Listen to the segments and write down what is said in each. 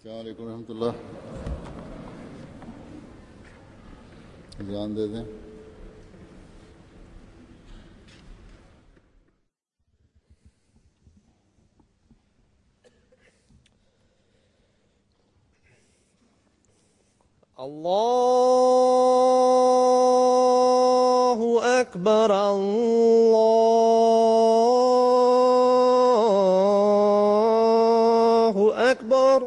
अस्सलाम वालेकुम रहमतुल्लाह। ध्यान दे दें। Allahu Akbar, Allahu Akbar,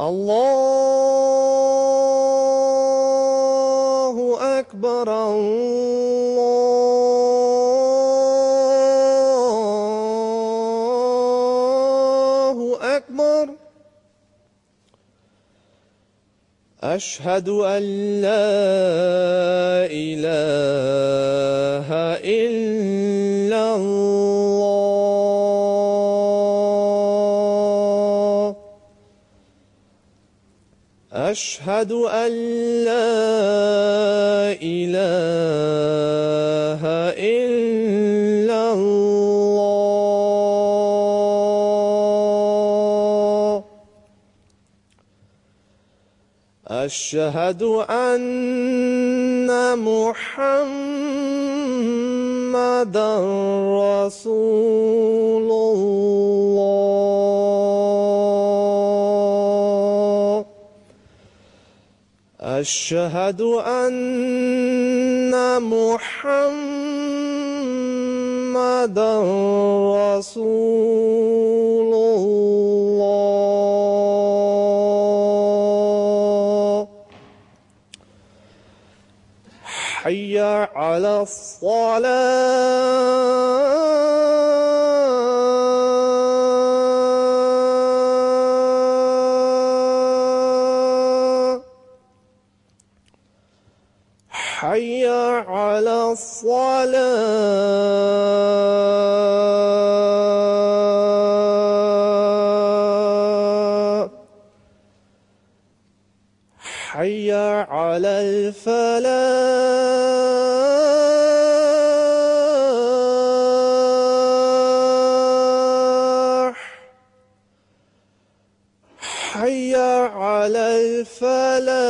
Allahu Akbar, Allahu Akbar. أشهد أن لا إله إلا الله. أشهد أن لا إله إلا الله. أشهد أن محمدًا رسول الله. أشهد أن محمدًا رسول الله. حي على الصلاة. حي على الصلاة. حي على الفلاح. حي على الفلاح.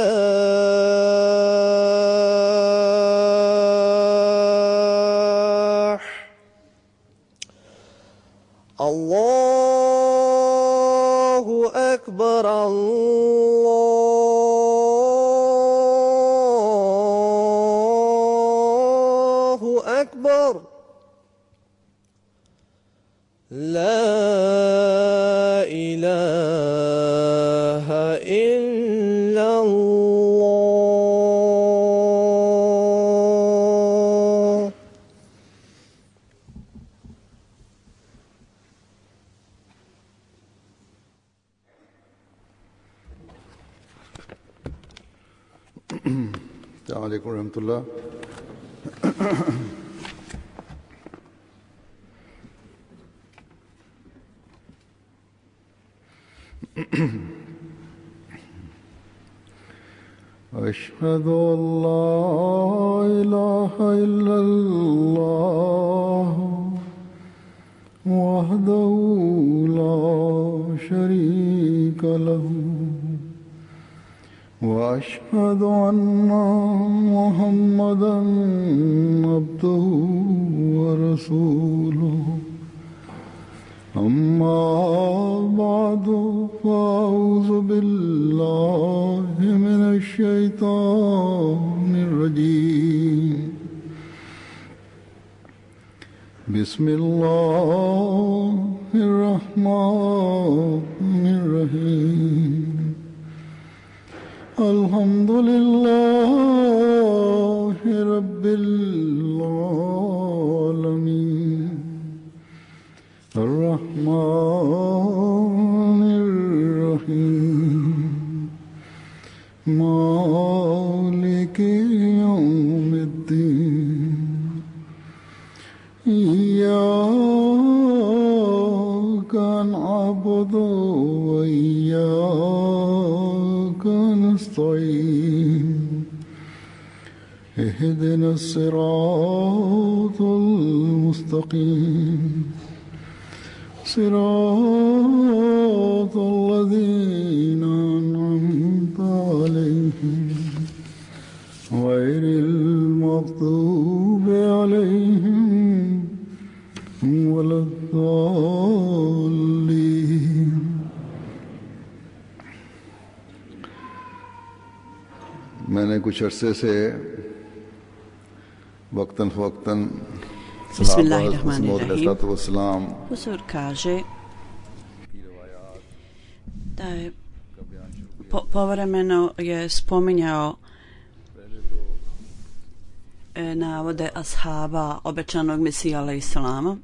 الله أكبر، الله أكبر. لا إله إلا الله. अस्सलाम वालेकुम रहमतुल्लाह। أشهد أن لا إله إلا الله وحده لا شريك له وأشهد أن محمدًا عبده ورسوله. أما بعد فأعوذ بالله من الشيطان الرجيم. بسم الله الرحمن الرحيم. الحمد لله رب العالمين. الرحمن الرحيم. مالك يوم الدين. إياك نعبد وإياك نستعين. اهدنا الصراط المستقيم. صراط الذين أنعمت عليهم غير المغضوب عليهم ولا الضالين. मैंने कुछ अरसे से वक्तन फ़वक्तन Bismillahirrahmanirrahim. Huzur kaže da je povremeno je spominjao navode ashaba obećanog Mesija alejselama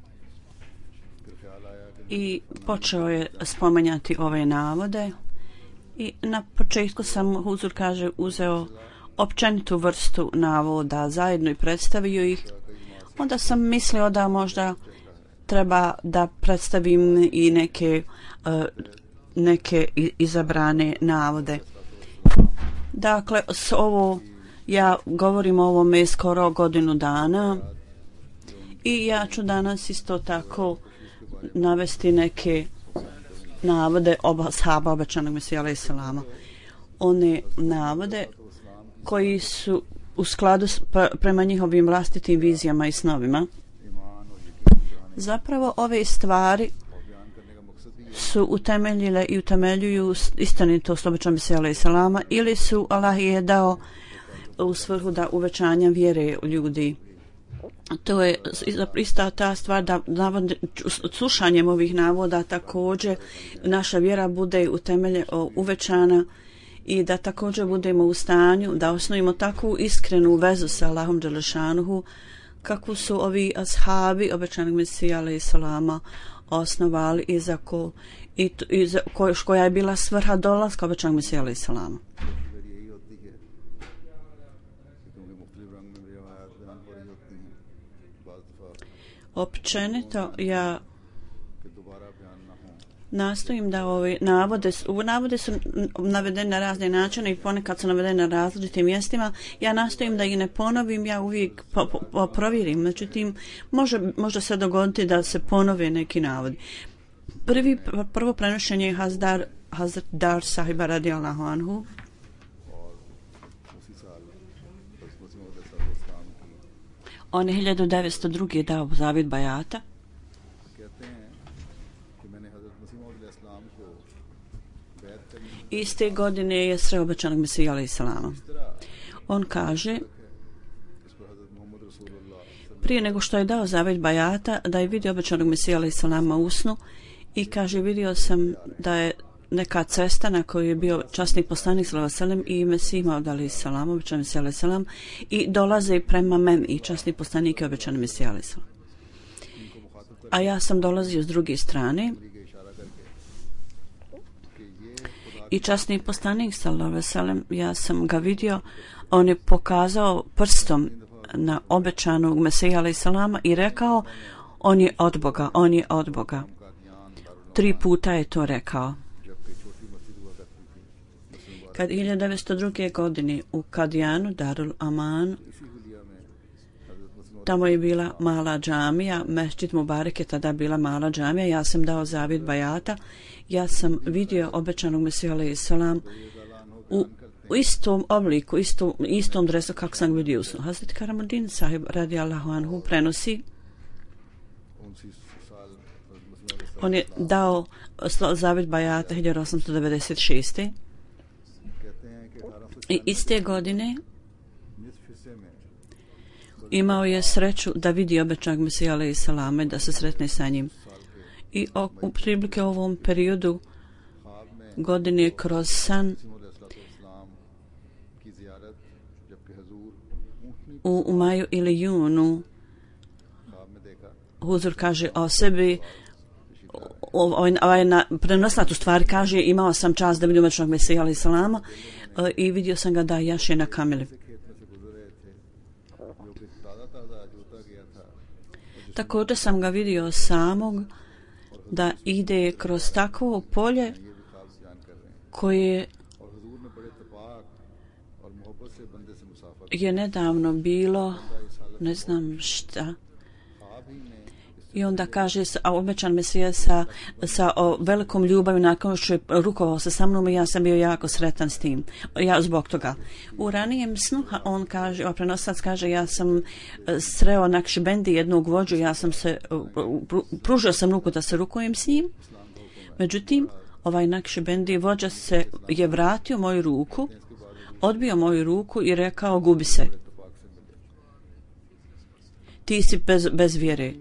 i počeo je spominjati ove navode i na početku sam, Huzur kaže, uzeo općenitu vrstu navoda zajedno i predstavio ih. Onda sam mislio da možda treba da predstavim i neke izabrane navode. Dakle, ja govorim o ovome skoro godinu dana i ja ću danas isto tako navesti neke navode ashaba obećanog Mesija alejselama. One navode koji su u skladu prema njihovim vlastitim vizijama i snovima. Zapravo ove stvari su utemeljile i utemeljuju istinitost obećanog Mesija alejselama ili su Allah je dao u svrhu da uvećanja vjere u ljudi. To je ista ta stvar da slušanjem ovih navoda također naša vjera bude uvećana i da također budemo u stanju da osnovimo takvu iskrenu vezu sa Allahom dželešanuhu kakvu su ovi ashabi obećanog Mesija alejselama osnovali i koja je bila svrha dolaska obećanog Mesija alejselama. Općenito ja nastojim da ove navode su navedene na razne načine i ponekad su navedene na različitim mjestima. Ja nastojim da ih ne ponovim, ja uvijek provjerim. Međutim, može se dogoditi da se ponove neki navodi. Prvo prenošenje je Hazrat Dar sahiba radijallahu anhu. On je 1902. dao zavjet bajata. Iste godine je sreo obećanog Mesija alejselama. On kaže, prije nego što je dao zavjet bajata, da je vidio obećanog Mesija alejselama u snu i kaže, vidio sam da je neka cesta na kojoj je bio časni poslanik sallallahu alejhi ve sellem i Mesih Maud alejselam, obećani Mesija alejselam, i dolaze prema meni i časni poslanik je obećani Mesija alejselam. A ja sam dolazio s druge strane i časni poslanik sallallahu alejhi ve sellem, ja sam ga vidio, on je pokazao prstom na obećanog Mesija alejselama i rekao, on je od Boga, on je od Boga. 3 puta je to rekao. Kad 1902. godine u Kadijanu, Darul Aman, tamo je bila mala džamija, Mesdžid Mubarek je tada bila mala džamija, ja sam dao zavjet bajata, ja sam vidio obećanog Mesija alejselam u istom obliku, istom dresu kako sam vidio u snu. Hazret Karamuddin sahib radijallahu anhu prenosi, on je dao zavjet bajata 1896. I iste godine imao je sreću da vidi obećanog Mesija alejselama, da se sretne sa njim. I u prilike ovom periodu godine kroz san u maju ili junu Huzur kaže o sebi, prenosnatu stvar kaže, imao sam čast da vidim obećanog Mesija alejselama i vidio sam ga da jaše na kameli. Također sam ga vidio samog da ide kroz takvo polje koje je nedavno bilo, ne znam šta, I onda kaže, a obećan Mesija sa velikom ljubavi nakon što je rukovao se sa mnom i ja sam bio jako sretan s tim. Ja zbog toga. U ranijem snu on kaže, prenosac kaže, ja sam sreo Nakšibendi, jednog vođu, ja sam se, pružio sam ruku da se rukujem s njim. Međutim, ovaj Nakšibendi vođa je vratio moju ruku, odbio moju ruku i rekao, gubi se. Ti si bez vjere.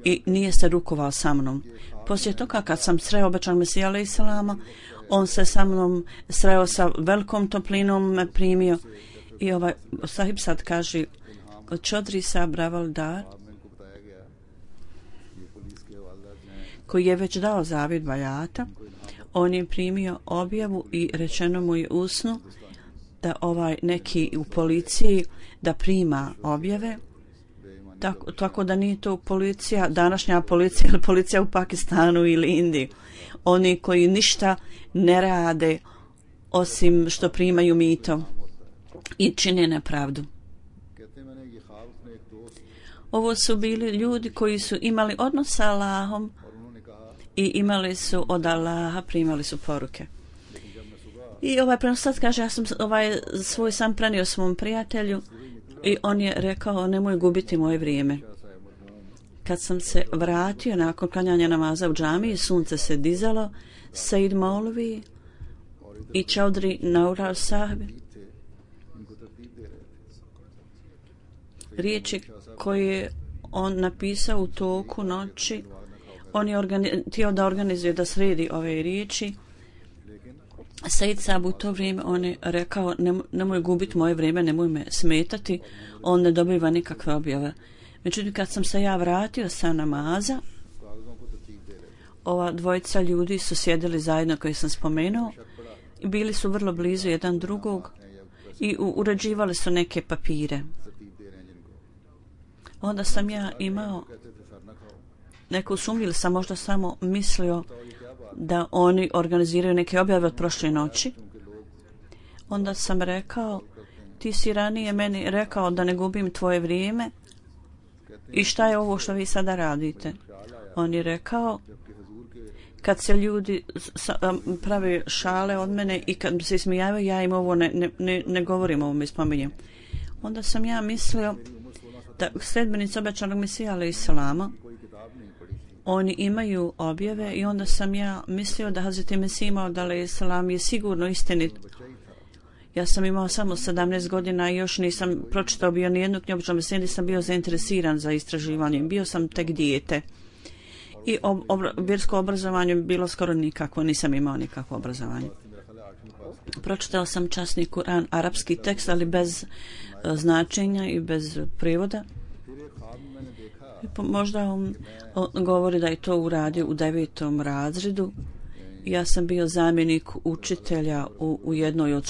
I nije se rukovao sa mnom. Poslije toga kad sam sreo obećan Mesija alejhi selama, on se sa mnom sreo sa velikom toplinom, me primio. I ovaj sahib sad kaže, Čodri Sahib Ravaldar, koji je već dao zavid bajata, on je primio objavu i rečeno mu je usnu da ovaj neki u policiji da prima objave. Tako da nije to policija, današnja policija ili policija u Pakistanu ili Indiji. Oni koji ništa ne rade osim što primaju mito i čine nepravdu. Ovo su bili ljudi koji su imali odnos sa Allahom i imali su od Allaha, primali su poruke. I ovaj prenosac kaže, ja sam svoj san prenio svom prijatelju i on je rekao, nemoj gubiti moje vrijeme. Kad sam se vratio nakon klanjanja namaza u džamiji, sunce se dizalo, Said Maulvi i Čaudri Naurar Sahib, riječi koje on napisao u toku noći, on je htio da organizuje, da sredi ove riječi. Said Sahib u to vrijeme on je rekao, nemoj gubiti moje vrijeme, nemoj me smetati, on ne dobiva nikakve objave. Međutim, kad sam se ja vratio sa namaza, ova dvojica ljudi su sjedili zajedno koji sam spomenuo i bili su vrlo blizu jedan drugog i uređivali su neke papire. Onda sam ja imao neku sumnju ili sam možda samo mislio da oni organiziraju neke objave od prošle noći. Onda sam rekao, ti si ranije meni rekao da ne gubim tvoje vrijeme i šta je ovo što vi sada radite? On je rekao, kad se ljudi prave šale od mene i kad se ismijavaju, ja im ovo ne govorim, ovo mi spominjem. Onda sam ja mislio da sledbenici obećanog Mesija alejhi selama, oni imaju objave i onda sam ja mislio da Hazreti Mesih Maud alejhi selam je sigurno istinit. Ja sam imao samo 17 godina i još nisam pročitao bio nijednu knjigu, nisam bio zainteresiran za istraživanje, bio sam tek dijete. I vjersko obrazovanje bilo skoro nikakvo, nisam imao nikakvo obrazovanje. Pročitao sam časni Kur'an, arapski tekst, ali bez značenja i bez prijevoda. Možda on govori da je to uradio u 9. razredu. Ja sam bio zamjenik učitelja u jednoj od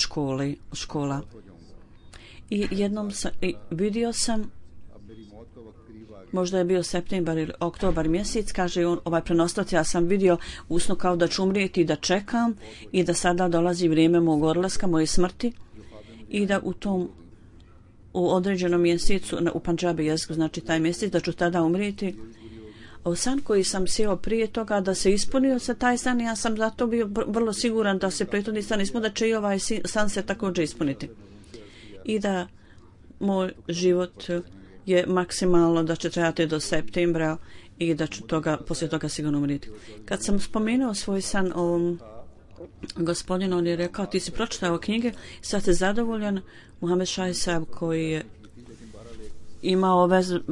škola. I jednom vidio sam, možda je bio septembar ili oktobar mjesec, kaže on, ovaj prenostac, ja sam vidio usno kao da ću umrijeti i da čekam i da sada dolazi vrijeme mog odlaska, moje smrti i da u određenom mjesecu, u Pandžabi jeziku znači taj mjesec, da ću tada umrijeti. San koji sam sjeo prije toga da se ispunio se taj san, ja sam zato bio vrlo siguran da se prethodni san ispunio, da će i ovaj san se također ispuniti. I da moj život je maksimalno da će trajati do septembra i da ću poslije toga sigurno umrijeti. Kad sam spomenuo svoj san o gospodinu, on je rekao, ti si pročitao knjige, sad si zadovoljan. Muhammed Šahi Sahib koji je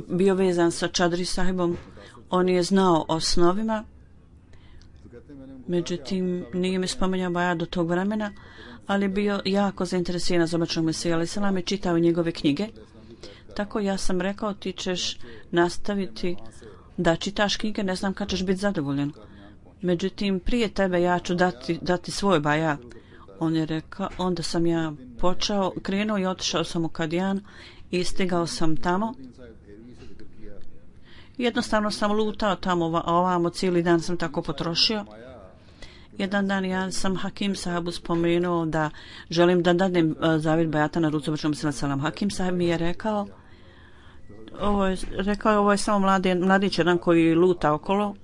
bio vezan sa Čadri Sahibom, on je znao osnovima, međutim nije mi spomenuo baja do tog vremena, ali bio jako zainteresiran za obećanog Mesija alejhi selam i čitao njegove knjige. Tako ja sam rekao, ti ćeš nastaviti da čitaš knjige, ne znam kad ćeš biti zadovoljan. Međutim, prije tebe ja ću dati svoj baja. On je rekao, onda sam ja krenuo i otišao sam u Kadijan i stigao sam tamo. Jednostavno sam lutao tamo ovamo, cijeli dan sam tako potrošio. Jedan dan ja sam Hakim Sahibu spomenuo da želim da dadnem zavid bajata na rucu obećanog Mesija alejhi selam. Hakim Sahib mi je rekao, rekao, ovo je samo mladić jedan koji luta okolo.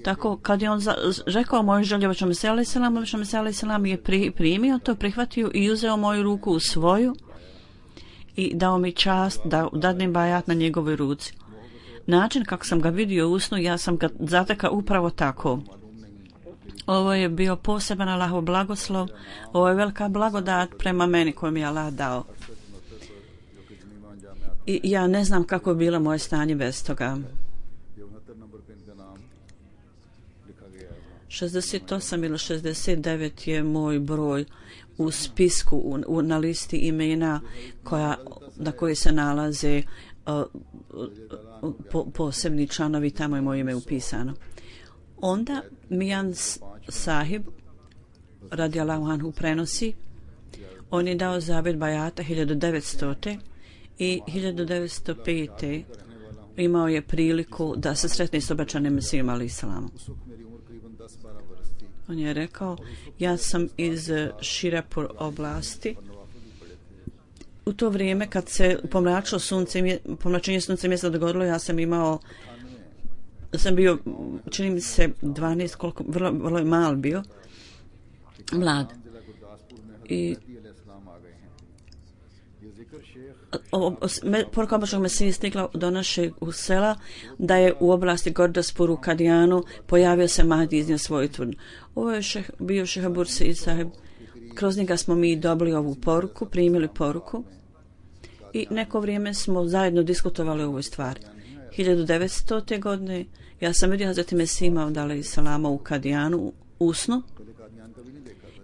Tako, kad je on rekao moju želju Obećanom Mesiji alejhi selam, Obećani Mesija alejhi selam je primio to, prihvatio i uzeo moju ruku u svoju i dao mi čast da dadnem bajat na njegovoj ruci. Način kako sam ga vidio u snu, ja sam ga zatekao upravo tako. Ovo je bio poseban Allahov blagoslov, ovo je velika blagodat prema meni koju mi je Allah dao. I ja ne znam kako je bilo moje stanje bez toga. 68 ili 69 je moj broj u spisku, na listi imena na koji se nalaze posebni članovi, tamo je moje ime upisano. Onda Mijan Sahib radijallahu anhu prenosi, on je dao zavjet bajata 1900. i 1905. imao je priliku da se sretne s Obećanim Mesijom alejhi selam. On je rekao, ja sam iz Širapur oblasti. U to vrijeme kad se pomračenje sunce mjesta dogodilo, ja sam bio, čini mi se 12, koliko, vrlo mal bio, mlad. I poruka Obećanog Mesije stigla do našeg sela da je u oblasti Gordaspur u Kadijanu pojavio se Mahdi iznio svoju tvrdnju. Ovo je bio Šeha Bursi i Sahib. Kroz njega smo mi dobili ovu poruku, primili poruku i neko vrijeme smo zajedno diskutovali o ovoj stvari. 1900. godine ja sam vidio Hazreti Mesih Maud alejhi selama u Kadijanu u snu,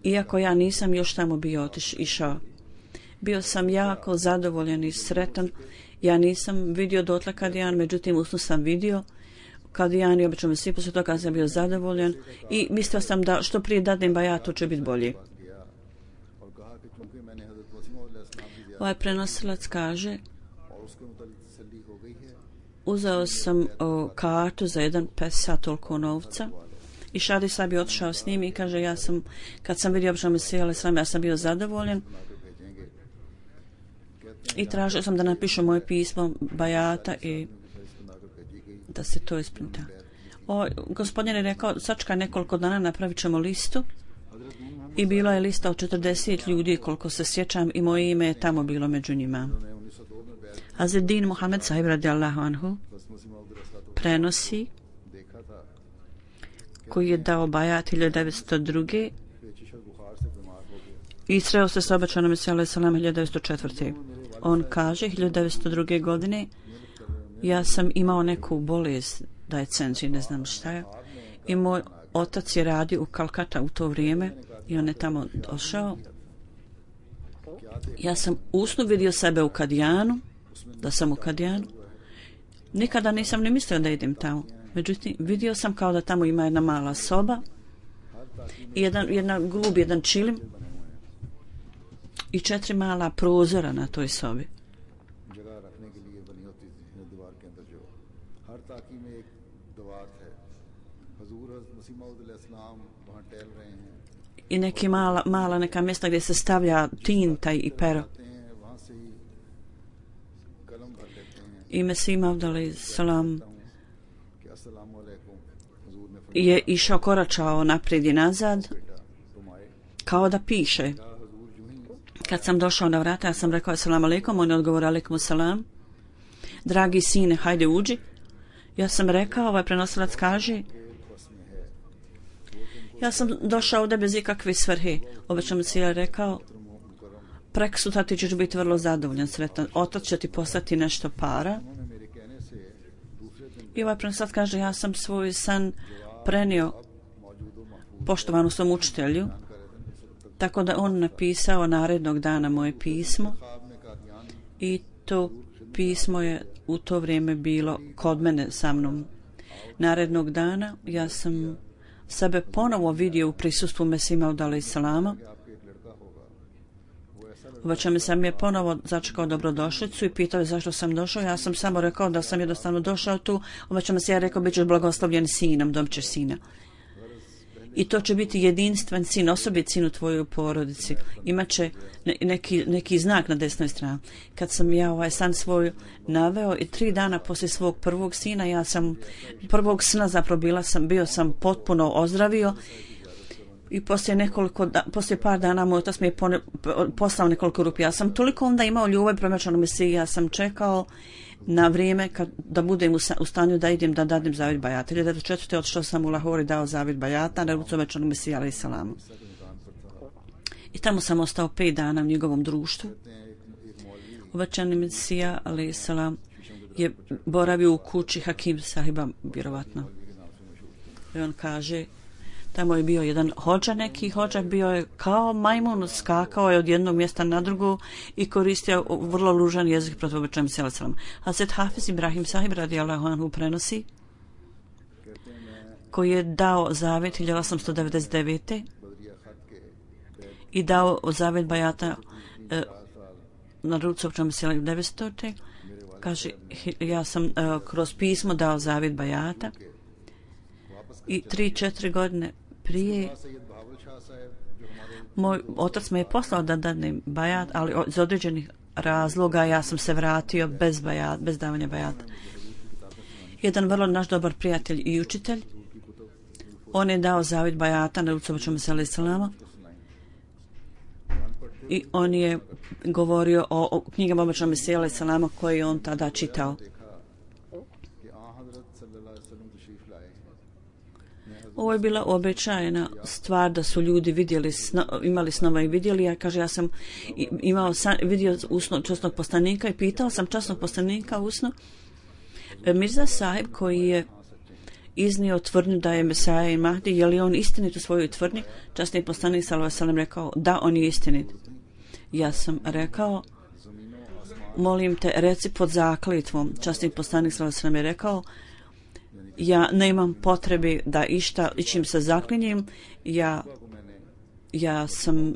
iako ja nisam još tamo bio išao. Bio sam jako zadovoljan i sretan. Ja nisam vidio dotle Kadijan, međutim usnu sam vidio Kadijan i Obećanom Mesiji, poslije toga sam bio zadovoljan i mislio sam da što prije dadnem bajat, to će biti bolje. Ovaj prenosilac kaže, uzeo sam kartu za jedan pesa, toliko novca, i Šadi Sahib je otišao s njim i kaže, kad sam vidio Obećanog Mesija alejhi selam, ja sam bio zadovoljan i tražio sam da napišu moje pismo bajata i da se to isprinta. Gospodin je rekao, sačekaj nekoliko dana, napravit ćemo listu, i bila je lista od 40 ljudi, koliko se sjećam, i moje ime je tamo bilo među njima. Hazret Din Muhammed Sahib radijallahu anhu prenosi, koji je dao bajat 1902. i sreo se s Obećanom Mesijom alejhi selam 1904. On kaže, 1902. godine ja sam imao neku bolest, da je cenzi, ne znam šta je, i moj otac je radio u Kalkata u to vrijeme i on je tamo došao. Ja sam usnu vidio sebe u Kadijanu, da sam u Kadijanu. Nikada nisam ni mislio da idem tamo. Međutim, vidio sam kao da tamo ima jedna mala soba i jedan čilim i 4 mala prozora na toj sobi. I neki mala neka mjesta gdje se stavlja tinta i pero. I Mesih Maud alejhi selam je išao, koračao naprijed i nazad kao da piše. Kad sam došao na vrata, ja sam rekao assalamu alaikum, on je odgovorio alaikum salam. Dragi sine, hajde uđi. Ja sam rekao, ovaj prenosilac kaže, ja sam došao ovdje bez ikakve svrhe. Obećan Mesija je rekao, prekosutra ti ćeš biti vrlo zadovoljan, sretan. Otac će ti poslati nešto para. I ovaj prenosilac kaže, ja sam svoj san prenio poštovanu svom učitelju, tako da on napisao narednog dana moje pismo i to pismo je u to vrijeme bilo kod mene sa mnom. Narednog dana ja sam sebe ponovo vidio u prisustvu Mesih Maud alejhi selama. Obećan sam je ponovo začekao dobrodošlicu i pitao je zašto sam došao. Ja sam samo rekao da sam jednostavno došao tu. Obećan se ja rekao, bit ćeš blagoslovljen sinom, dobit ćeš sina. I to će biti jedinstven sin, osobit sin u tvojoj porodici. Imaće neki znak na desnoj strani. Kad sam ja ovaj san svoj naveo i 3 dana poslije svog prvog sina, prvog sna zapravo bio sam potpuno ozdravio. I poslije par dana moj otac mi je poslao nekoliko rupija. Ja sam toliko onda imao ljubav prema Obećanom Mesiji, ja sam čekao na vrijeme da budem u stanju da idem da dadim zavjet bajata. 1994. odšao sam u Lahore i dao zavjet bajata na rucu Obećanog Mesija alejhi selam. I tamo sam ostao 5 dana u njegovom društvu. Obećani Mesija alejhi selam je boravio u kući Hakim sahiba, vjerovatno. I on kaže, tamo je bio jedan neki hođa bio je kao majmun, skakao je od jednog mjesta na drugo i koristio vrlo ružan jezik protiv Obećanog Mesija alejhi selam. Hazret Hafiz Ibrahim sahib radijallahu anhu prenosi, koji je dao zavjet 1899. i dao zavjet bajata na rucu Obećanog Mesija 1900. Kaže, ja sam kroz pismo dao zavjet bajata i 3-4 godine prije moj otac me je poslao da dadnem bajat, ali iz određenih razloga ja sam se vratio bez davanja bajata. Jedan vrlo naš dobar prijatelj i učitelj, on je dao zavjet bajata na rucu Obećanog Mesija alejhi selam i on je govorio o knjigama Obećanog Mesija alejhi selam koje je on tada čitao. Ovo je bila običajna stvar da su ljudi imali snova i vidjeli. Ja kaže, ja sam vidio usno časnog poslanika i pitao sam časnog poslanika usno. Mirza sahib koji je iznio tvrdnju da je Mesaja i Mahdi, je li on istinit u svojoj tvrdnji? Časni poslanik sallallahu alejhi ve sellem rekao, da, on je istinit. Ja sam rekao, molim te, reci pod zakletvom. Časni poslanik sallallahu alejhi ve sellem je rekao, ja nemam potrebe da ičim se zaklinjem, ja sam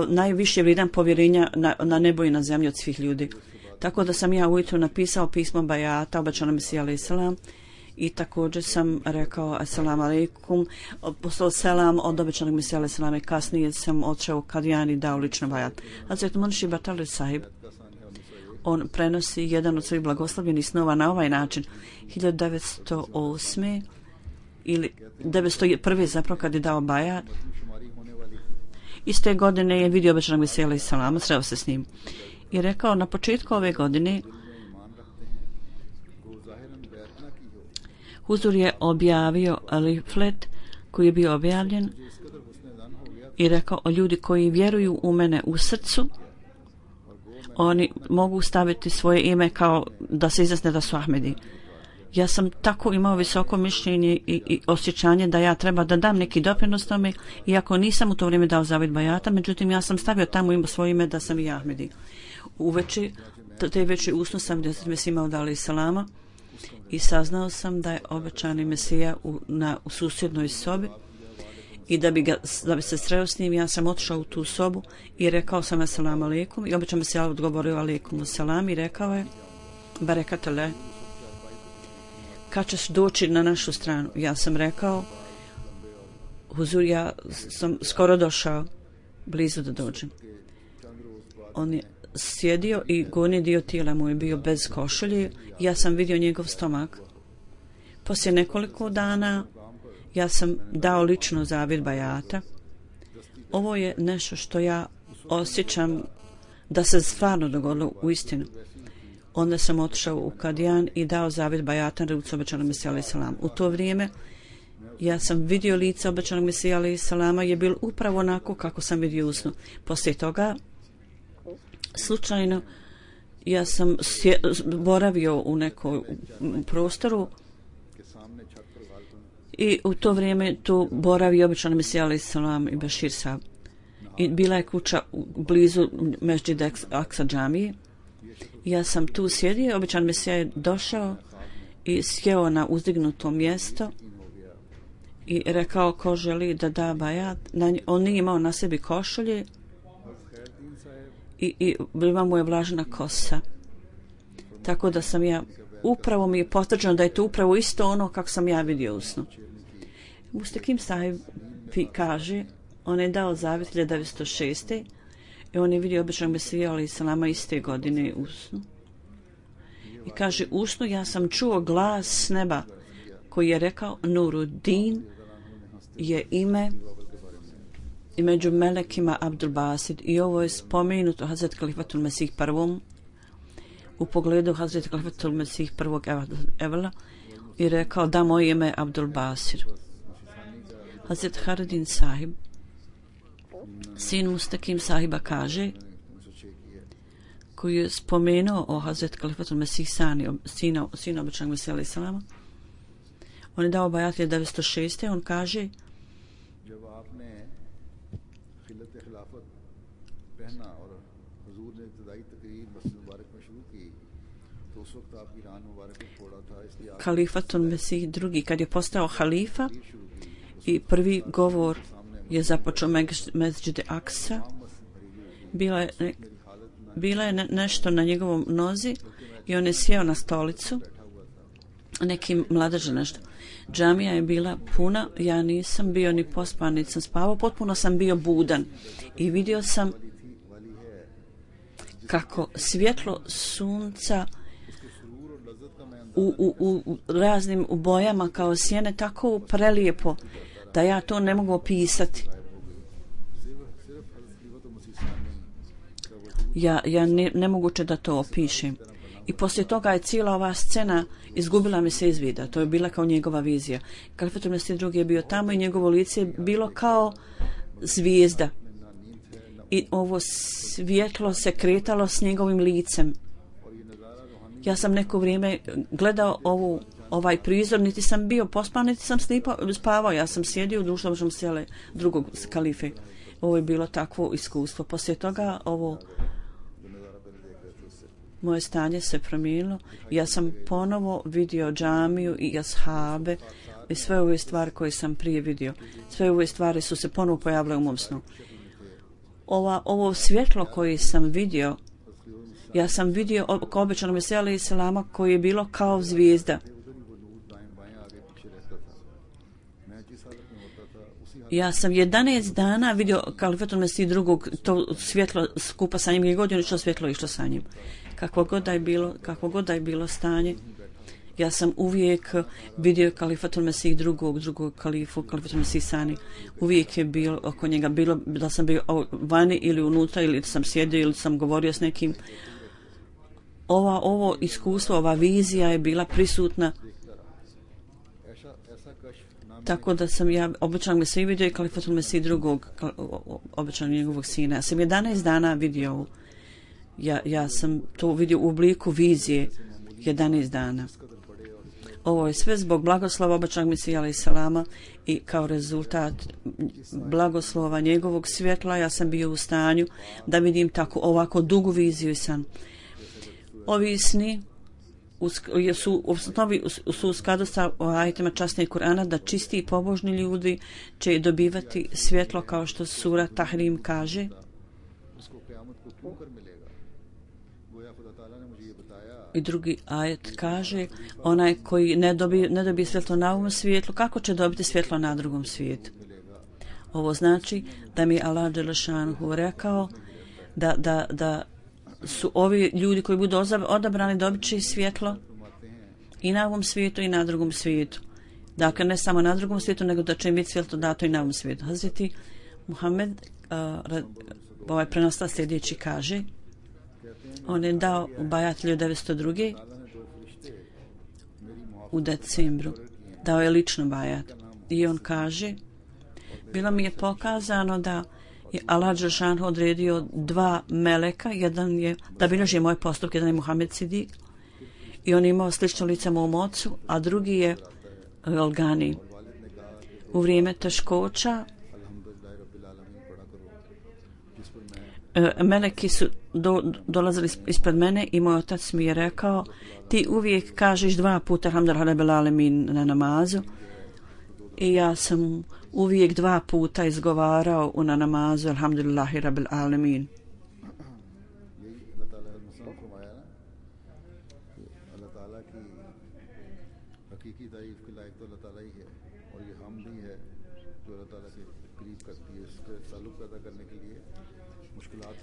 najviše vrijedan povjerenja na nebo i na zemlji od svih ljudi. Tako da sam ja ujutro napisao pismo bajata Obećanom Mesiji alejhi selam i također sam rekao assalamu alejkum, poslao selam od Obećanog Mesija alejhi selam i kasnije sam otišao Kadijani i dao lično bajat. Hazret Munši Batali sahib, on prenosi jedan od svojih blagoslovljenih snova na ovaj način. 1908. ili 1901. zapravo kad je dao bajat, iste godine je vidio Obećanog Mesija alejhi selam, sreo se s njim i rekao, na početku ove godine Huzur je objavio leaflet koji je bio objavljen i rekao, o ljudi koji vjeruju u mene u srcu, oni mogu staviti svoje ime kao da se izjasne da su Ahmedi. Ja sam tako imao visoko mišljenje i osjećanje da ja treba da dam neki doprinos tome, iako nisam u to vrijeme dao zavjet bajata, međutim ja sam stavio tamo svoje ime da sam i Ahmedi. Uveče, te veće usnu sam Hazret Mesija alejhi selama i saznao sam da je Obećani Mesija u susjednoj sobi i da bi se sreo s njim, ja sam otišao u tu sobu i rekao sam assalamu alejkum i Obećani Mesija odgovorio alejkum selam i rekao je barekatullah, kad ćeš doći na našu stranu? Ja sam rekao, Huzur, ja sam skoro došao, blizu da dođem. On je sjedio i gornji dio tijela mu je bio bez košulje, ja sam vidio njegov stomak. Poslije nekoliko dana ja sam dao lično zavjet bajata. Ovo je nešto što ja osjećam da se stvarno dogodilo u istinu. Onda sam otišao u Kadijan i dao zavjet bajata na rucu Obećanog Mesija alejhi selam. U to vrijeme ja sam vidio lice Obećanog Mesija alejhi selama, je bilo upravo onako kako sam vidio usnu. Poslije toga slučajno ja sam boravio u nekom prostoru i u to vrijeme tu boravio Obećani Mesija alejhi selam i Bešir sahib. I bila je kuća blizu Mesdžid Aksa džamije. Ja sam tu sjedio, Obećani Mesija je došao i sjeo na uzdignuto mjesto i rekao ko želi da da bajat. On nije imao na sebi košulje i bila mu je vlažna kosa. Tako da sam ja upravo mi je potvrđeno da je to upravo isto ono kako sam ja vidio u snu. Mustakim Sahib kaže, on je dao zavjet 1906. i on je vidio običnog Mesija alejhi selama iste godine u snu. I kaže, u snu ja sam čuo glas s neba koji je rekao, Nuruddin je ime i među melekima Abdul Basid, i ovo je spomenuto Hazret Kalifatul Mesih prvom u pogledu Hazret Kalifatul Mesih prvog Evela i rekao, da, moje ime je Abdul Basir. Hazret Haridin Sahib, sin Mustakim Sahiba, kaže, koji je spomenuo o Hazret Kalifatul Mesih Sani, sina običnog Mesija alejhi selama, on je dao bajat 1906. On kaže, Kalifatul Mesih drugi, kad je postao halifa i prvi govor je započeo Mesdžid Aksa, bila je nešto na njegovom nozi i on je sjeo na stolicu, neki mladež nešto. Džamija je bila puna, ja nisam bio ni pospan, niti sam spavao, potpuno sam bio budan i vidio sam kako svjetlo sunca u raznim bojama kao sjene tako prelijepo da ja to ne mogu opisati. Ja ne moguće da to opišem. I poslije toga je cijela ova scena izgubila mi se iz vida. To je bila kao njegova vizija. Kalifatul Mesih drugi je bio tamo i njegovo lice je bilo kao zvijezda. I ovo svjetlo se kretalo s njegovim licem. Ja sam neko vrijeme gledao ovaj prizor, niti sam bio pospan, niti sam spavao. Ja sam sjedio u društvu sjele drugog kalife. Ovo je bilo takvo iskustvo. Poslije toga moje stanje se promijenilo. Ja sam ponovo vidio džamiju i ashabe i sve ove stvari koje sam prije vidio. Sve ove stvari su se ponovo pojavile u mom snu. Ovo svjetlo koje sam vidio, ja sam vidio kao običanog Mesija alejhi selama koji je bilo kao zvijezda. Ja sam 11 dana vidio Kalifatul Mesih drugog, to svjetlo skupa sa njim, i godinu što svjetlo išlo sa njim. Kakvo god da je bilo stanje, ja sam uvijek vidio Kalifatul Mesih drugog kalifu, Kalifatul Mesih Sani. Uvijek je bilo oko njega, bilo da sam bio vani ili unutra, ili sam sjedio ili sam govorio s nekim. Ovo iskustvo, ova vizija je bila prisutna. Tako da sam ja običan Mesih vidio i Kalifatul Mesih drugog, običan njegovog sina. Ja sam 11 dana vidio, ja sam to vidio u obliku vizije 11 dana. Ovo je sve zbog blagoslova običnog Mesija alejhi selama i kao rezultat blagoslova njegovog svjetla ja sam bio u stanju da vidim tako ovako dugu viziju i san. Ovi sni su u skladu sa ajetima časnih Kur'ana da čisti i pobožni ljudi će dobivati svjetlo, kao što sura Tahrim kaže. I drugi ajet kaže, onaj koji ne dobije svjetlo na ovom svijetu, kako će dobiti svjetlo na drugom svijetu? Ovo znači da mi Allah dželešanuhu rekao da su ovi ljudi koji budu odabrani dobit će svjetlo i na ovom svijetu i na drugom svijetu. Dakle, ne samo na drugom svijetu, nego da će im biti svjetlo dato i na ovom svijetu. Hazreti Muhammed, ovaj prenosla sljedeći kaže, on je dao u bajat 1902. u decembru. Dao je lično bajat. I on kaže, bilo mi je pokazano da je Allah dželešan odredio 2 meleka, jedan je da bilježi moje postupke, jedan je Muhammed Sidik i on je imao slično lice mom ocu, a drugi je Galgani. U vrijeme teškoća meleki su dolazili ispred mene i moj otac mi je rekao, ti uvijek kažeš 2 puta alhamdulillahi rabbil alemin na namazu, i ja sam uvijek 2 puta izgovarao na namazu alhamdulillahi rabbil alemin. ताला की हकीकी तारीफ के लायक तो अल्लाह ताला ही है और ये हम भी है जो अल्लाह ताला के करीब करती है इसके ताल्लुक पैदा करने के लिए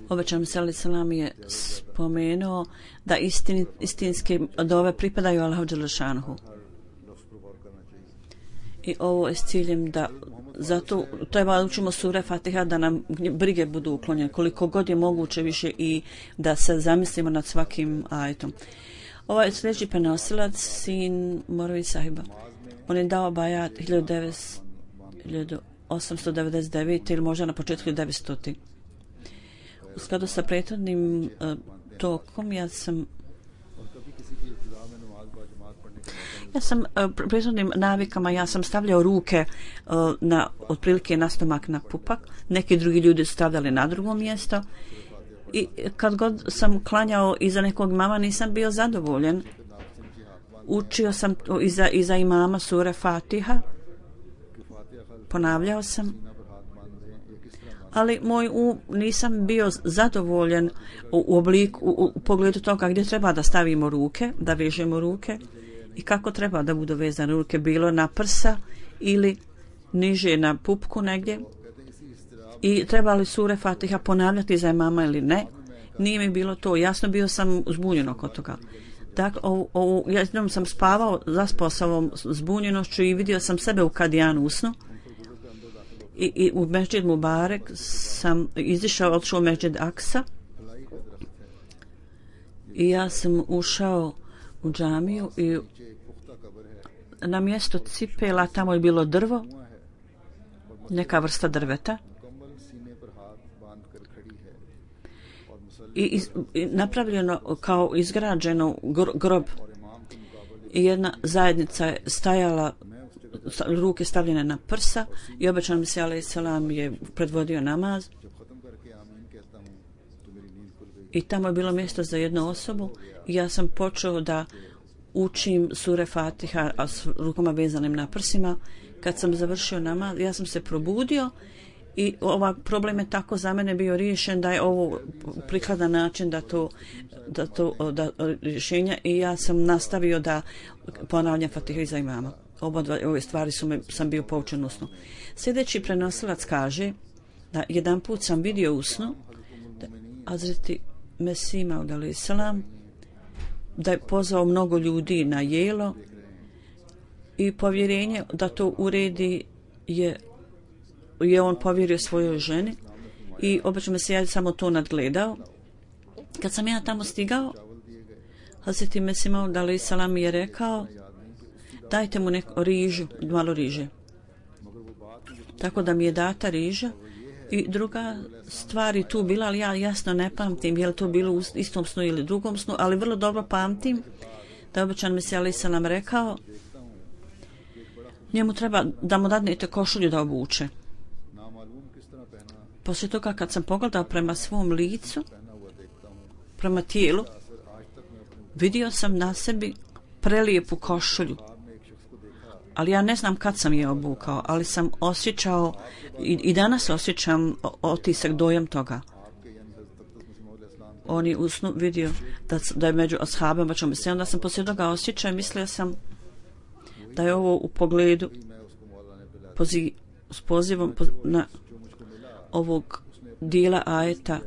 Obećan Salam je spomenuo da istinske dove pripadaju Allahu Đelešanuhu. I ovo je s ciljem da zato treba učimo sure Fatiha da nam brige budu uklonjene koliko god je moguće više i da se zamislimo nad svakim ajetom. Ovaj sljedeći prenosilac, sin Morvi Sahiba, on je dao bajat 1899 ili možda na početku 1900. U skladu sa prethodnim tokom ja sam prethodnim navikama ja sam stavljao ruke na otprilike na stomak, na pupak. Neki drugi ljudi su stavljali na drugo mjesto i kad god sam klanjao iza nekog imama nisam bio zadovoljen. Učio sam iza imama sure Fatiha, ponavljao sam, ali nisam bio zadovoljen u pogledu toga gdje treba da stavimo ruke, da vežemo ruke i kako treba da budu vezane ruke, bilo na prsa ili niže na pupku negdje, i treba li sure Fatiha ponavljati za imama ili ne. Nije mi bilo to jasno, bio sam zbunjen oko toga. Dakle, jednom sam zaspao sa ovom zbunjenošću i vidio sam sebe u kadijanu usnu. I u Mesdžid Mubarek sam izišao, otišao u Mesdžid Aksa i ja sam ušao u džamiju i na mjesto cipela tamo je bilo drvo, neka vrsta drveta i napravljeno kao izgrađeno grob i jedna zajednica je stajala, ruke stavljene na prsa i obećan Mesija alejhi selam je predvodio namaz i tamo je bilo mjesto za jednu osobu i ja sam počeo da učim sure Fatiha s rukama vezanim na prsima. Kad sam završio namaz ja sam se probudio i ovaj problem je tako za mene bio riješen da je ovo prikladan način da rješenja, i ja sam nastavio da ponavljam Fatiha iza imama. Ove stvari sam bio poučen u snu. Sljedeći prenosilac kaže da jedan put sam vidio u snu da Hazreti Mesih Maud alejhi selam da je pozvao mnogo ljudi na jelo i povjerenje da to uredi je on povjerio svojoj ženi i obično se ja samo to nadgledao. Kad sam ja tamo stigao, Hazreti Mesih Maud alejhi selam je rekao dajte mu malo riže. Tako da mi je data riža i druga stvar je tu bila, ali ja jasno ne pamtim je li to bilo u istom snu ili drugom snu, ali vrlo dobro pamtim da je obećan Mesija alejhi selam rekao njemu treba da mu dadnete košulju da obuče. Poslije toga kad sam pogledao prema svom licu, prema tijelu, vidio sam na sebi prelijepu košulju. Ali ja ne znam kad sam je obukao, ali sam osjećao i danas osjećam otisak, dojam toga. On je u snu vidio da je među ashabima, onda sam poslije toga osjećao i mislio sam da je ovo u pogledu s pozivom na ovog dijela ajeta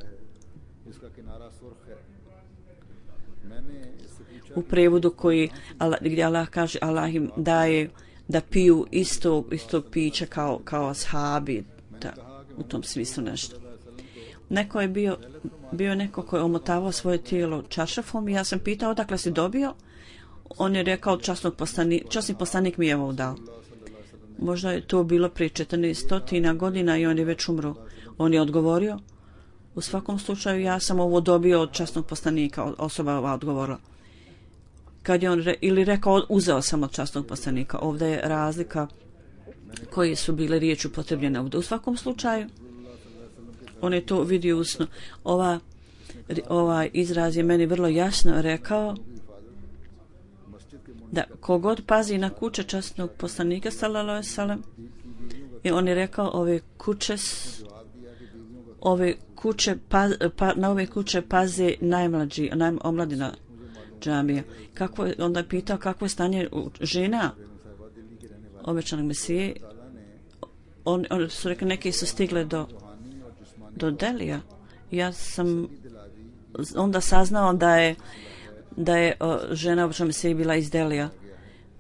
u prevodu gdje Allah kaže Allah im daje da piju isto piće kao ashabi, u tom smislu nešto. Neko je bio neko koji je omotavao svoje tijelo čaršafom i ja sam pitao odakle si dobio. On je rekao časni poslanik mi je ovo dao. Možda je to bilo prije 1400 godina i on je već umro. On je odgovorio, u svakom slučaju ja sam ovo dobio od časnog poslanika, osoba ova odgovorila. Kad je on rekao uzeo sam od časnog poslanika, ovdje je razlika koje su bile riječi upotrebljene ovdje. U svakom slučaju on je to vidio usno. Ovaj izraz je meni vrlo jasno rekao da kogod pazi na kuće časnog poslanika sallallahu alejhi ve sellem, i on je rekao na ove kuće paze najmlađi, omladina. džamija. Onda je pitao kako je stanje žena obećanog Mesije. Oni su rekli, neki su stigle do Delija. Ja sam onda saznao da je žena obećanog Mesije bila iz Delija.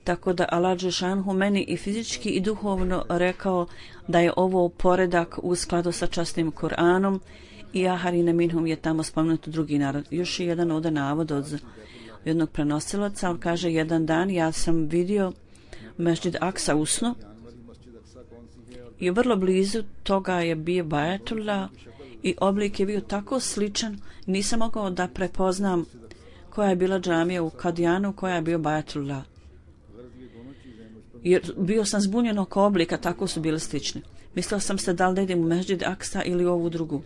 Tako da Allah dželešanu meni i fizički i duhovno rekao da je ovo poredak u skladu sa časnim Kur'anom i Aharine minhum je tamo spomenuto drugi narod. Još je jedan ovdje navod od jednog prenosilaca. On kaže, jedan dan ja sam vidio Mesdžid Aksa u snu i vrlo blizu toga je bio Bajatullah i oblik je bio tako sličan, nisam mogao da prepoznam koja je bila džamija u Kadijanu, koja je bio Bajatullah. Jer bio sam zbunjen oko oblika, tako su bile slične. Mislila sam se da li da idem u Mesdžid Aksa ili ovu drugu.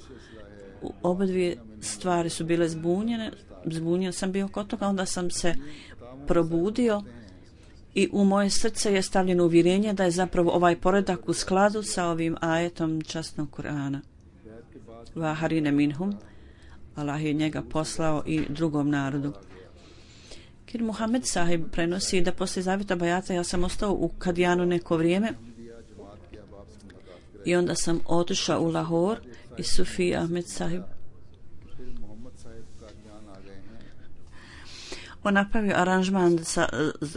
Oba dvije stvari su bile zbunjen sam bio kod toga, onda sam se probudio i u moje srce je stavljeno uvjerenje da je zapravo ovaj poredak u skladu sa ovim ajetom časnog Kur'ana. Vaharine minhum, Allah je njega poslao i drugom narodu. Kir Muhammed sahib prenosi da poslije zavjeta bajata ja sam ostao u Kadijanu neko vrijeme i onda sam otišao u Lahor i Sufi Ahmed sahib on napravio aranžman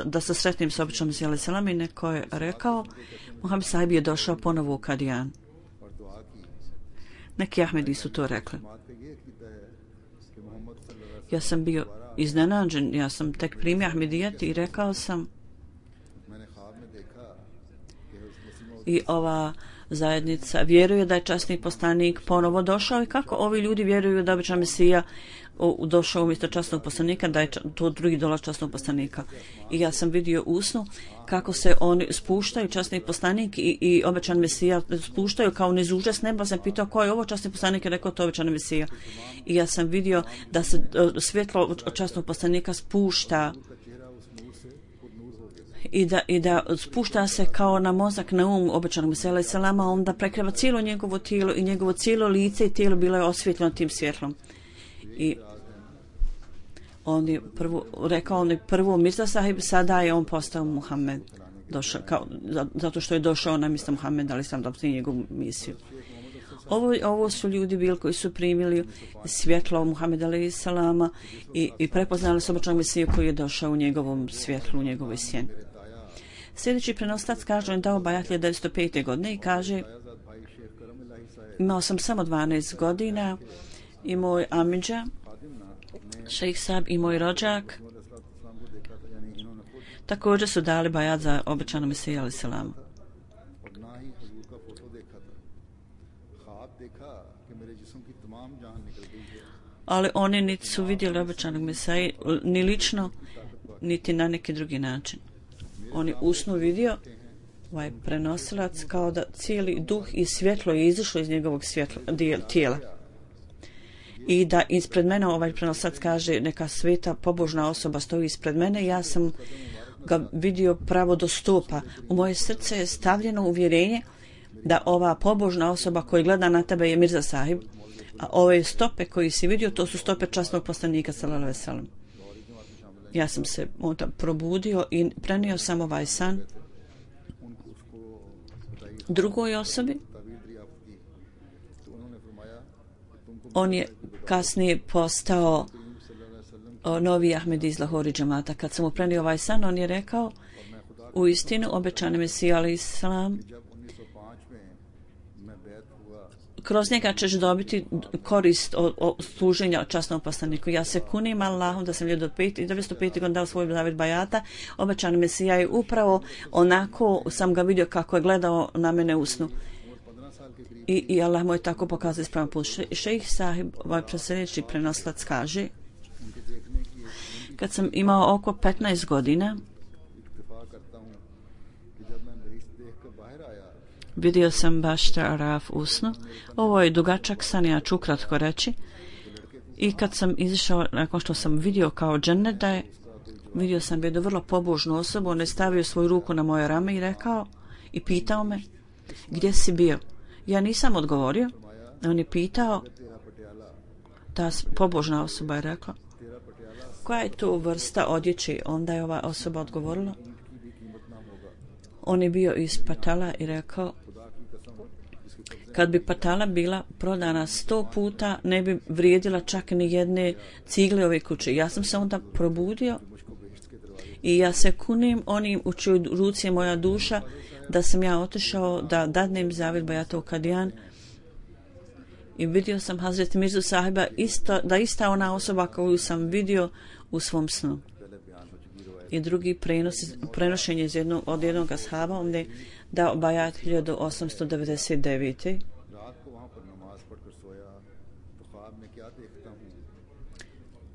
da se sretnim s običnom Mesija selam i neko je rekao Muhammed sahib je došao ponovo u Kadijan. Neki Ahmedi su to rekli. Ja sam bio iznenađen, ja sam tek primio Ahmedijet i rekao sam i ova zajednica vjeruje da je časni poslanik ponovo došao i kako ovi ljudi vjeruju da običan Mesija došao umjesto časnog poslanika, da je to drugi dolaz časnog poslanika. I ja sam vidio u snu kako se oni spuštaju, časni poslanik i obećan Mesija spuštaju kao niz užas neba. Sam pitao ko je ovo časni poslanik i rekao to obećan Mesija. I ja sam vidio da se svjetlo od časnog poslanika spušta i da spušta se kao na mozak, na obećanog Mesija alejhi selama, onda prekriva cijelo njegovo tijelo i njegovo cijelo lice i tijelo bilo je osvjetljeno tim svjetlom. I on je prvo Mirza sahib, sada je on postao Muhammed, zato što je došao na mjesto Muhammed, ali sam dobio njegovu misiju. Ovo su ljudi bili koji su primili svjetlo Muhammed alejhi selama i prepoznali su obećanog Mesiju koji je došao u njegovom svjetlu, u njegovoj sjeni. Sljedeći prenoslac kaže, on dao bajat 1905. godine i kaže, imao sam samo 12 godina i moj amidža, šejh sahib i moj rođak također su dali bajat za obećanog Mesija alejhi selam. Ali oni niti su vidjeli obećanog Mesija ni lično, niti na neki drugi način. On je usnu vidio ovaj prenosilac kao da cijeli duh i svjetlo je izašlo iz njegovog tijela. I da ispred mene ovaj prenosilac kaže neka sveta pobožna osoba stoji ispred mene, ja sam ga vidio pravo do stupa. U moje srce je stavljeno uvjerenje da ova pobožna osoba koja gleda na tebe je Mirza sahib, a ove stope koji si vidio to su stope časnog poslanika sallallahu alejhi ve sellem. Ja sam se onda probudio i prenio sam ovaj san drugoj osobi. On je kasnije postao novi Ahmedi iz Lahori džamata. Kad sam mu prenio ovaj san, on je rekao, u istinu obećani Mesija alejhi selam, kroz njega ćeš dobiti korist od služenja časnom poslaniku. Ja se kunim Allahom da sam 1905. godine dao svoj zavjet bajata. Obećani Mesija je upravo onako, sam ga vidio kako je gledao na mene u snu. I Allah mu je tako pokazao ispravan put. Šejh sahib, ovaj sljedeći prenoslac kaže, kad sam imao oko 15 godina, vidio sam Bašta Araf u snu. Ovo je dugačak san, ja ću ukratko reći. I kad sam izišao, nakon što sam vidio kao džennet da je, vidio sam jednu vrlo pobožnu osobu, on je stavio svoju ruku na moje rame i rekao, i pitao me, gdje si bio? Ja nisam odgovorio, on je pitao, ta pobožna osoba je rekla, koja je to vrsta odjeće? Onda je ova osoba odgovorila. On je bio iz Patala i rekao, kad bi Patala bila prodana 100 puta, ne bi vrijedila čak ni jedne cigle ove kuće. Ja sam se onda probudio i ja se kunim onim u čijoj ruci je moja duša, da sam ja otišao da dadnem zavjet Bajatov Kadijan i vidio sam Hazret Mirzu Sahiba, ista ona osoba koju sam vidio u svom snu. I drugi prenošenje od jednog ashaba, on je dao bajat 1899.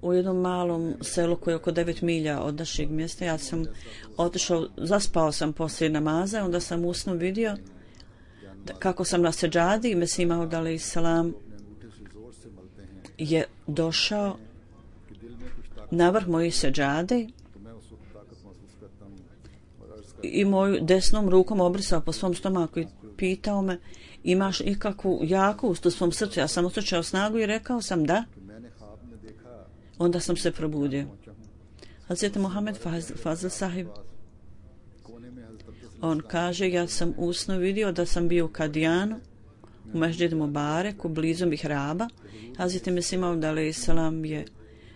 U jednom malom selu koje je oko 9 milja od našeg mjesta. Ja sam otišao, zaspao sam poslije namaza, onda sam u snu vidio kako sam na seđadi i Mesih Maud alejhi selam je došao na vrh moje seđade i moju desnom rukom obrisao po svom stomaku i pitao me, imaš ikakvu jakost u svom srcu? Ja sam osjećao snagu i rekao sam da. Onda sam se probudio. Hazret Mohamed Fazl Sahib, on kaže, ja sam u snu vidio da sam bio u Kadijanu, u Mesdžid Mubareku, blizu mihraba. Hazret Mesih Maud alejhi selam je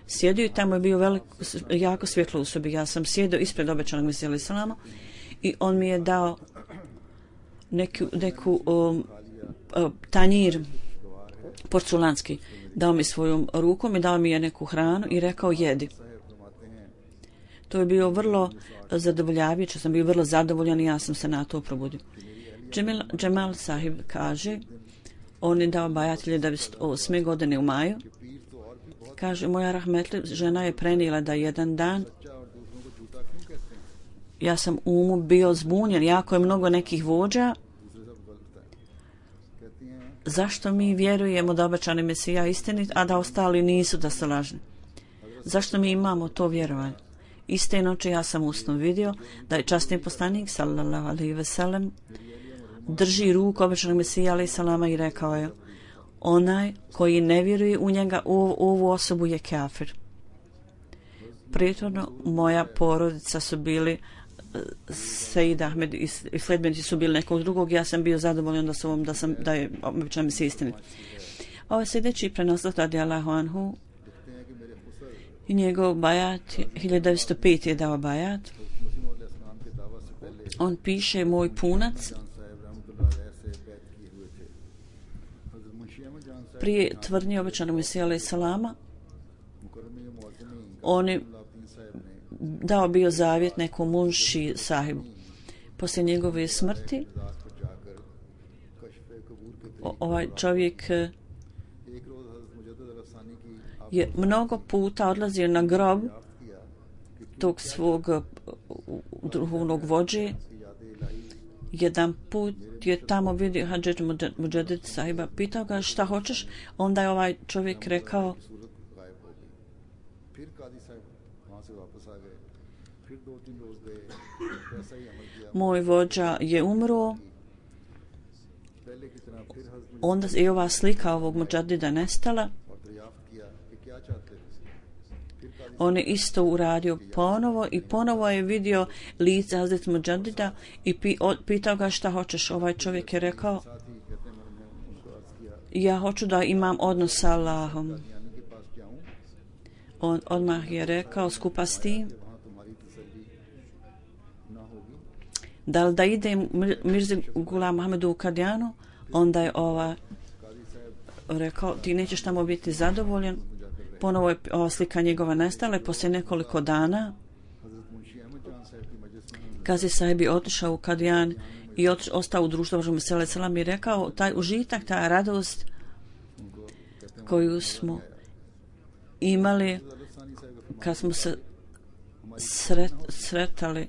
sjedio i tamo je bio jako svjetlo u sobi. Ja sam sjedio ispred obećanog Mesija alejhi selama i on mi je dao neku tanjir porculanski. Dao mi svojom rukom i dao mi je neku hranu i rekao jedi. To je bio vrlo zadovoljavajuće, sam bio vrlo zadovoljan i ja sam se na to probudio. Džemal Sahib kaže, on je dao bajat 1908. godine u maju. Kaže, moja rahmetli žena je prenijela da jedan dan ja sam umu bio zbunjen, jako je mnogo nekih vođa. Zašto mi vjerujemo da obećani Mesija istinit, a da ostali nisu, da su lažni? Zašto mi imamo to vjerovanje? Iste noći ja sam u snu vidio da je časni poslanik sallallahu alejhi ve sellem drži ruku obećanog Mesija alejhi selama i rekao je, onaj koji ne vjeruje u njega, u ovu osobu je kafir. Prethodno moja porodica su bili Sejid Ahmed i sledbenici su bili nekog drugog, ja sam bio zadovoljan da je obećan Mesija istinit. Ovo sljedeći prenoslat radijallahu anhu i njegov bajat 1905 je dao bajat. On piše, moj punac prije tvrdnje obećanog Mesija alejhi selama, on je dao bio zavjet nekom Munši Sahibu. Poslije njegove smrti ovaj čovjek je mnogo puta odlazio na grob tog svog duhovnog vođe. Jedan put je tamo vidio Hadžet Muđadid Sahiba, pitao ga šta hoćeš, onda je ovaj čovjek rekao, moj vođa je umro. Onda je ova slika ovog Muđadida nestala. On je isto uradio ponovo i ponovo je vidio lice Hazret Muđadida i pitao ga šta hoćeš. Ovaj čovjek je rekao, ja hoću da imam odnos sa Allahom. On odmah je rekao skupa s tim, da idem Mirzi Gulam Ahmedu u Kadijanu. Onda je rekao, ti nećeš tamo biti zadovoljan. Ponovo je ova slika njegova nestala i poslije nekoliko dana Kazi Sahib je otišao u Kadijan i ostao u društvu Božeg Mesija alejhi selam i rekao, taj užitak, ta radost koju smo imali kad smo se sretali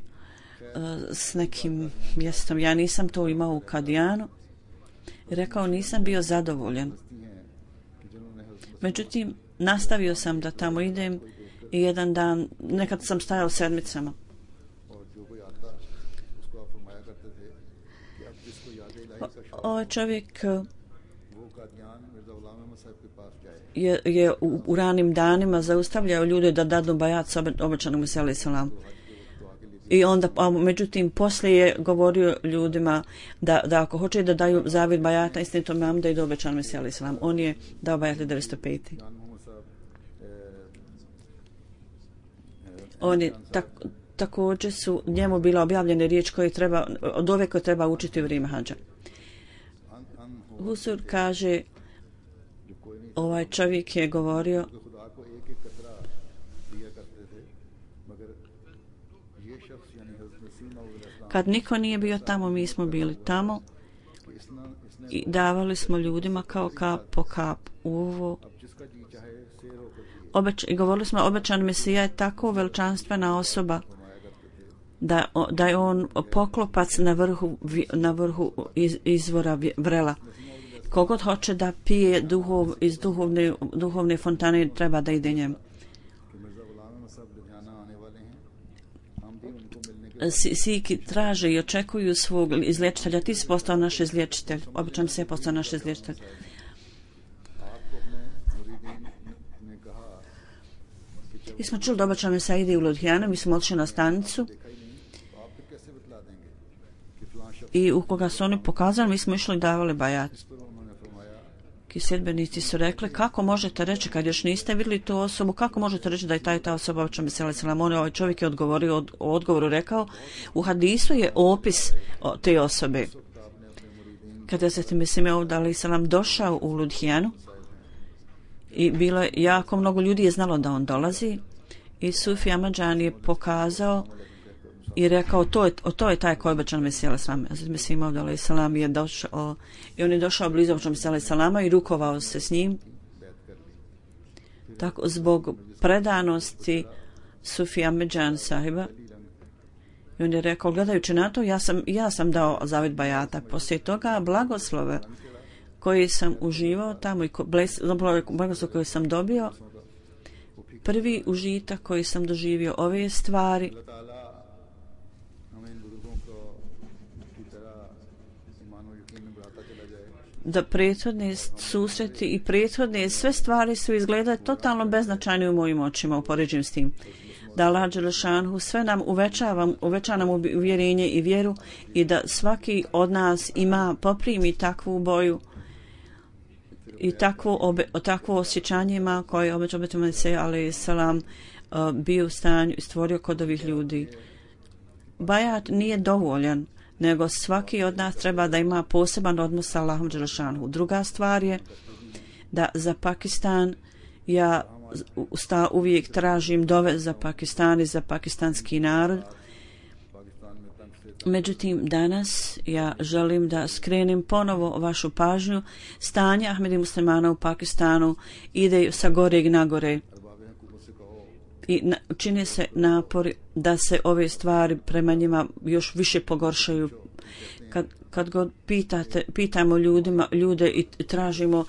s nekim mjestom, ja nisam to imao u Kadijanu. Rekao, nisam bio zadovoljan. Međutim, nastavio sam da tamo idem i jedan dan, nekad sam stajao sedmicama. Ovaj čovjek je u ranim danima zaustavljao ljude da dadu bajat sa obećanom Mesiju alejhi selam. I onda, međutim, poslije je govorio ljudima da ako hoće da daju zavjet bajata istinitom imam da idu obećanom Mesiju alejhi selam. On je dao bajat 905. On je također su njemu bila objavljene riječ od ove koje treba učiti u vrijeme hadža. Husur kaže, ovaj čovjek je govorio kad niko nije bio tamo, mi smo bili tamo i davali smo ljudima kao kap po kap uvo. I govorili smo, obećan Mesija je tako veličanstvena osoba da je on poklopac na vrhu izvora vrela. Kogod hoće da pije iz duhovne fontane treba da ide njemu. Siki traže i očekuju svog izliječitelja. Ti si postao naš izliječitelj. Običan se je postao naš izliječitelj. Mi smo čuli da običan Mesija ide u Ludhijanu, mi smo otišli na stanicu i u koga su oni pokazali, mi smo išli i davali bajat. Sjedbenici su rekli, kako možete reći, kad još niste vidjeli tu osobu, kako možete reći da je ta osoba obećan Mesija alejhi selam? Ovaj čovjek je odgovorio, u odgovoru rekao, u hadisu je opis te osobe. Kada se Mesija alejhi selam došao u Ludhijanu i bilo je jako mnogo ljudi je znalo da on dolazi i Sufi Ahmadžan je pokazao i rekao, to je taj koji je obećan Mesija alejhi selam. Mesija alejhi selam je došao i on je došao blizu obećanog Mesija alejhi selama i rukovao se s njim. Tako, zbog predanosti Sufi Ahmadžan sahiba, i on je rekao, gledajući na to, ja sam dao zavjet bajata. Poslije toga blagoslove koji sam uživao tamo i blagoslov koji sam dobio, prvi užitak koji sam doživio ove stvari, da prethodne susreti i prethodne sve stvari su izgledale totalno beznačajne u mojim očima, upoređujem s tim. Da Allah dželešanhu sve nam uveća nam uvjerenje i vjeru i da svaki od nas poprimi takvu boju i takvo osjećanje ima koje je obećao Mesija alejhi selam bio u stanju i stvorio kod ovih ljudi. Bajat nije dovoljan, nego svaki od nas treba da ima poseban odnos sa Allahom dželešanhu. Druga stvar je da za Pakistan ja uvijek tražim dove za Pakistan i za pakistanski narod. Međutim, danas ja želim da skrenem ponovo vašu pažnju. Stanje Ahmedi muslimana u Pakistanu ide sa goreg na gore i čine se napori da se ove stvari prema njima još više pogoršaju. Kad god pitamo ljude i tražimo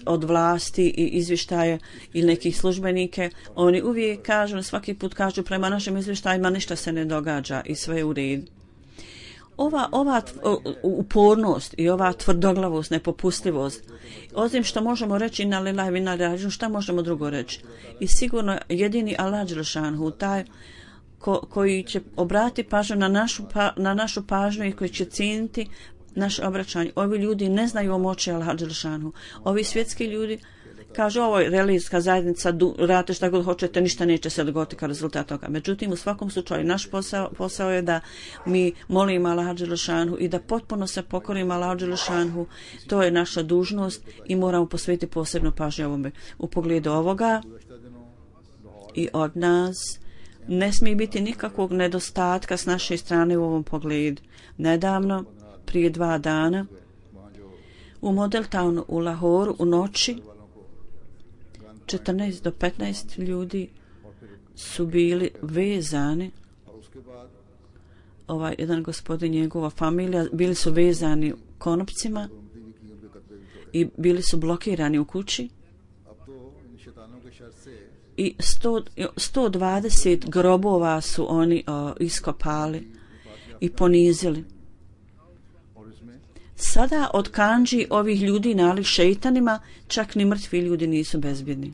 od vlasti i izvještaje ili nekih službenike, oni uvijek kažu, svaki put kažu, prema našim izvještajima ništa se ne događa i sve je u redu. Ova upornost i ova tvrdoglavost, nepopustljivost, osim što možemo reći na lillahi ve inna ilaihi rađiun, šta možemo drugo reći? I sigurno jedini Allah dželešanhu, taj koji će obratiti pažnju na našu pažnju i koji će cijeniti naše obraćanje. Ovi ljudi ne znaju o moći Allah dželešanhu. Ovi svjetski ljudi kažu, ovo je religijska zajednica, radite šta god hoćete, ništa neće se dogoditi kao rezultat toga. Međutim, u svakom slučaju, naš posao je da mi molimo Allaha dželešanhu i da potpuno se pokorimo Allahu dželešanhu. To je naša dužnost i moramo posvetiti posebnu pažnju ovome. U pogledu ovoga i od nas ne smije biti nikakvog nedostatka s naše strane u ovom pogledu. Nedavno, prije 2 dana, u Model Townu u Lahoru u noći 14 do 15 ljudi su bili vezani. Jedan gospodin, njegova familija, bili su vezani konopcima i bili su blokirani u kući. I 120 grobova su oni iskopali i ponizili. Sada od kandži ovih ljudi nalik šeitanima, čak ni mrtvi ljudi nisu bezbjedni.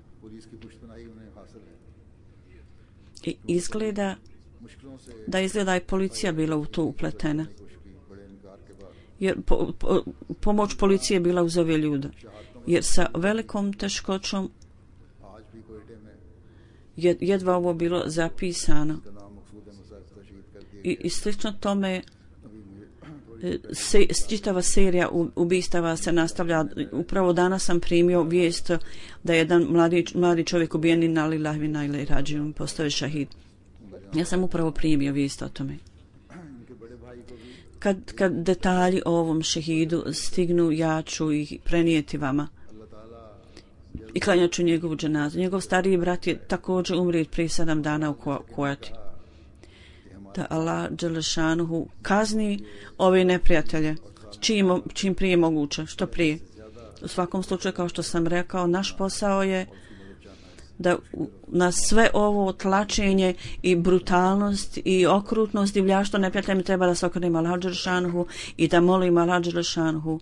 I izgleda i policija bila u to upletena. Jer pomoć policije bila uz ove ljude. Jer sa velikom teškoćom jedva ovo bilo zapisano. I slično tome čitava serija ubistava se nastavlja. Upravo danas sam primio vijest da je jedan mladi čovjek ubijen i na lillahi wa inna ilaihi rađiun, postao je šahid. Ja sam upravo primio vijest o tome. Kad detalji o ovom šehidu stignu, ja ću ih prenijeti vama i klanjat ću njegovu dženazu. Njegov stariji brat je također umrijet prije 7 dana u Kojati. Da Allah dželešanuhu kazni ove neprijatelje čim prije moguće, što prije. U svakom slučaju, kao što sam rekao, naš posao je da na sve ovo tlačenje i brutalnost i okrutnost divljaštvo neprijateljima treba da se okrenemo Allahu dželešanuhu i da molimo Allahu dželešanuhu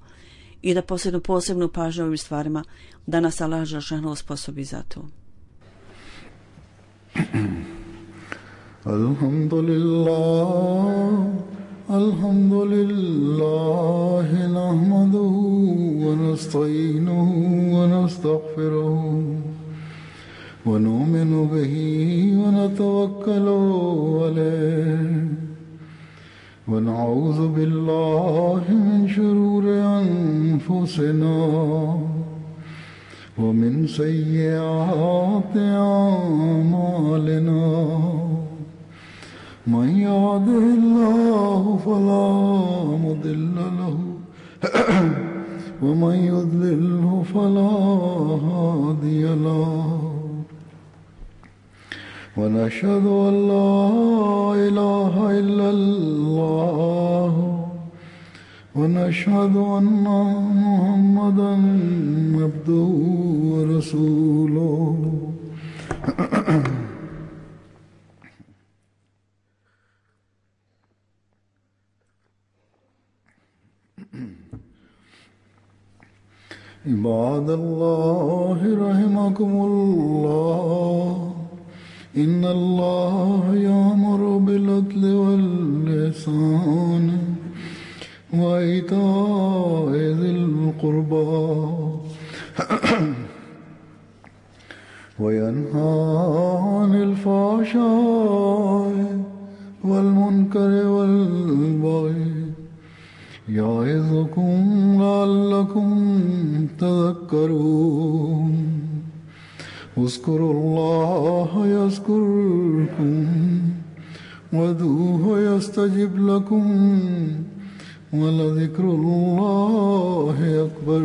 i da posebnu pažnju ovim stvarima, da nas Allah dželešanuhu osposobi za to. Alhamdulillah nahmaduhu wa nasta'inuhu wa nastaghfiruhu wa nu'minu bihi wa natawakkalu alayhi wa na'udhu billahi min shururi anfusina wa min sayyiati a'malina. من يهده الله فلا مضل له ومن يضلله فلا هادي له ونشهد أن لا إله إلا الله ونشهد أن محمدا عبده ورسوله. عباد الله رحمكم الله إن الله يأمر بالعدل والإحسان وإيتاء ذي القربى وينهى عن الفحشاء والمنكر والبغي يعظكم لعلكم تذكرون. اذكروا الله يذكركم وادعوه يستجب لكم ولذكر الله أكبر.